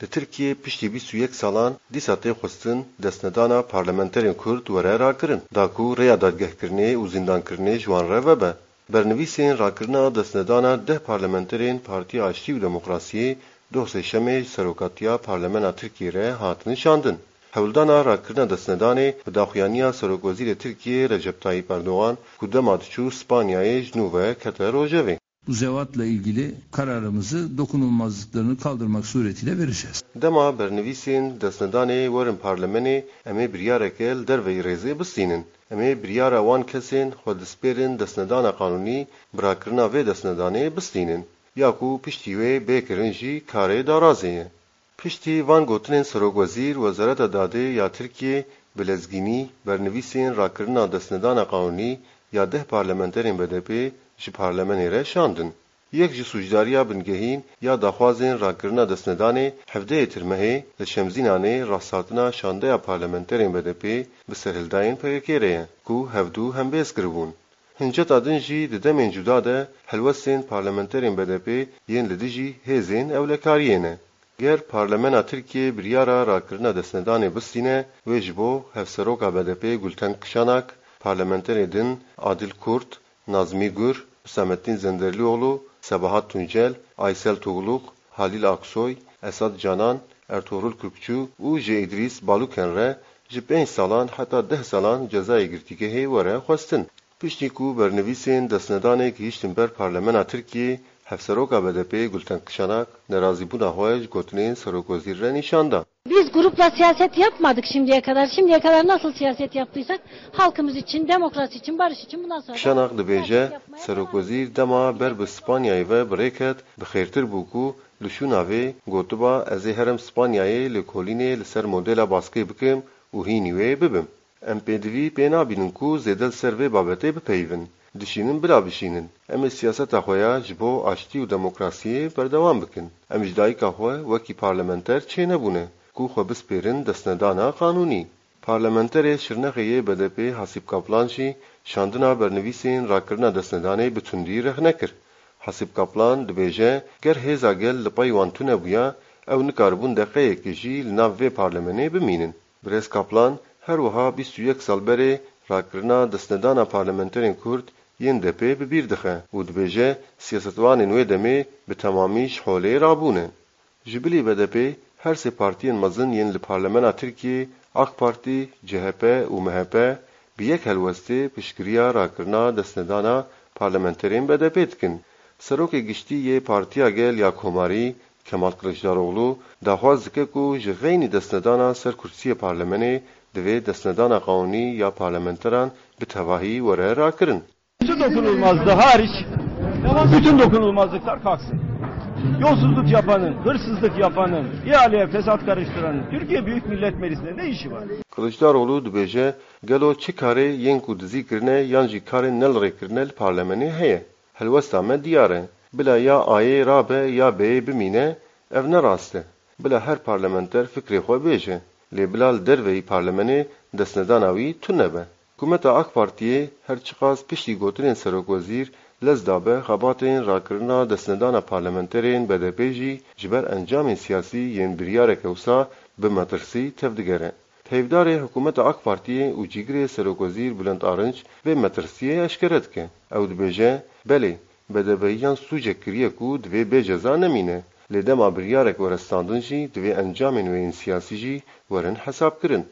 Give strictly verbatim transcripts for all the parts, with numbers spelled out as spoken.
Li Tirkiyê piştî bîst û yek salan dîsa tê xwestin destnedana parlamenterên Kurd were rakirin, da ku rêya dadgehkirinê û zîndankirinê ji wan re vebe. Bernivîsên rakirina destnedana deh parlamenterên Partiya Aştî û Demokrasiyê doh Sêşemê ji serokatiya Parlemena Tirkiyê re hatin şandin. Hewldana rakirina destnedanê bi daxuyaniya Serokwezîrê Tirkiyê Recep Tayyip Erdogan ku dema diçû Spanyayê ji nû ve kete rojevê. Bu zevatla ilgili kararımızı dokunulmazlıklarını kaldırmak suretiyle vereceğiz. Dema bernivîsên destnedanê werin parlemenê, em ê biryareke li derveyî rêzê bistînin. Em ê biryara wan kesên xwe dispêrin destnedana qanûnî, bi rakirina vê destnedanê bistînin. Ya ku piştî wê bê kirin jî karê darazê ye. Piştî van gotinên Serokwezîr, Wezareta Dadê ya Tirkiyê bi lezgînî bernivîsên rakirina destnedana qanûnî ya deh parlamenterên B D P ji parlemenê re şandin. Yek ji sûcdariya bingehîn ya daxwazên rakirina destnedanê hevdehê Tirmehê li Şemzînanê rasthatina şandeya parlamenterên B D P bi serhildayên P K K re ye, ku hevdu hembêz kiribûn. Hinceta din jî di demên cuda de helwestên parlamenterên B D P yên li dijî hêzên ewlekariyê ne. Ger Parlemena Tirkiyê biryara rakirina destnedanê bistîne, wê ji bo Hevseroka B D P Gulten Kişanak, parlamenterê din Adil Kurt, Nazmî Gur, Husamettin Zenderlioğlu, Sebahat Tuncel, Aysel Tugluk, Halil Aksoy, Esat Canan, Ertuğrul Kürkçü û ji Îdrîs Baluken re ji pênc salan heta deh salan cezayê girtîgehê were xwestin. Piştî ku bernivîsên destnedanê gihîştin ber Parlemena Tirkiyê, Hevseroka B D P Gulten Kişanak nerazîbûna xwe ji gotinên Serokwezîr re nîşan da. Biz grupla siyaset yapmadık şimdiye kadar. Şimdiye kadar nasıl siyaset yaptıysak halkımız için, demokrasi için, barış için bundan sonra da Kişanak dibêje, siyaset yapmaya devam edeceğiz. Serokwezîr dema ber bi Spanyayê ve bi rê ket, bi xêrtir bû ku li şûna vê gotiba, "Ez ê herim Spanyayê lêkolînê li ser modela baskê bikim û hînî wê bibim." Em pêdivî pê nabînin ku zêde li ser vê babetê bipeyivin. Dişînin bila bişînin. Em ê siyaseta xwe ya ji bo aştî û demokrasiyê berdewam bikin. Em ji dayika xwe wekî parlamenter çênebûne ku xwe bispêrin destnedana qanûnî. Parlamenterê Şirnexê yê B D P Hasîb Kaplan jî şandina bernivîsên rakirina destnedanê bi tundî rexne kir. Hasîb Kaplan dibêje, ger hêza gel li pey wan tune bûya, ew nikaribûn deqeyekê jî li nav vê parlemenê bimînin. Birêz Kaplan her wiha bîst û yek sal berê rakirina destnedana parlamenterên Kurd yên D P bi bîr dixe û dibêje, siyasetvanên wê demê bi temamî ji holê rabûne. Ji bilî B D P, her sê partiyên mezin yên li Parlemena Tirkiyê, AK Partî, C H P û M H P, bi yek helwestê piştgiriya rakirina destnedana parlamenterên B D P dikin. Serokê Giştî yê Partiya Gel ya Komarî, Kemal Kiliçdaroglu, daxwaz dike ku ji xeynî destnedana ser kursiyê parlemenê divê destnedana qanûnî ya parlamenteran bi tevahî were rakirin. Su dokunulmazlığı hariç bütün dokunulmazlıklar kalksın. Yolsuzluk yapanın, hırsızlık yapanın, ihaleye fesat karıştıranın Türkiye Büyük Millet Meclisi'nde ne işi var? Kiliçdaroglu dibêje, gelo çi karê yên ku dizî kirine yan jî karên ne li rê kirine li parlemenê heye? Helwesta me diyar e. Bila ya A'yê rabe ya B'yê bimîne, ev ne rast e. Bila her parlamenter fikrê xwe bêje, lê bila li derveyî parlemenê destnedana wî tune be. Hikûmeta AK Partiyê her çiqas piştî gotinên serokwezîr lez dabe xebatên rakirina destnedana parlamenterên B D P jî ji ber encamên siyasî yên biryareke wisa bi metirsî tevdigere. Heyvdarê hikûmeta AK Partiyê û cîgirê serokwezîr Bülent Arınç vê metirsiyê eşkere dike. Ew dibêje, belê, B D P yan sûcek kiriye ku divê bê ceza nemîne, lê dema biryarek were standin jî divê encamên wê yên siyasî jî werin hesabkirin.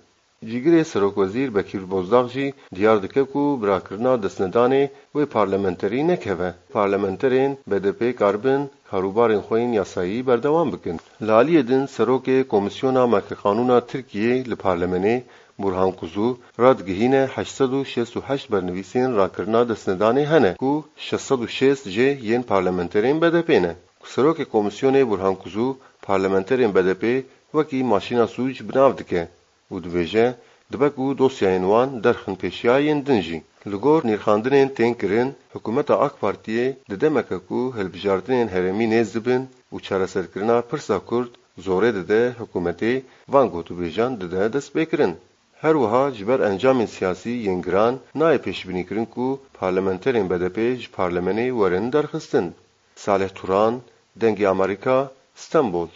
Cîgirê serokwezîr Bekîr Bozdağ jî diyar dike ku bi rakirina destnedanê wê parlamenterî nekeve. Parlamenterên B D P karibin karûbarên xwe yên yasayî berdewam bikin. Li aliyê din serokê Komîsyona Mekeqanûna Tirkiyê li parlemenê Burhan Kuzu radigihîne heşt sed û şêst û heşt bernivîsên rakirina destnedanê hene ku şeş sed û şêst jê yên parlamenterên B D P ne. Serokê Komîsyonê Burhan Kuzu parlamenterên B D P wekî maşîna sûc bi nav dike û dibêje, dibe ku dosyayên wan derxin pêşiya yên din jî. Li gor nirxandinên tên kirin, hikûmeta AK Partiyê di demeke ku hilbijartinên herêmî nêz dibin û çareserkirina pirsa Kurd zorê dide hikûmetê, van gotûbêjan dide destpêkirin. Her wiha ji ber encamên siyasî yên giran nayê pêşbînîkirin ku parlamenterên B D P ji parlemenê werin derxistin. Salih Turan, Dengê Amerîka, Stenbol.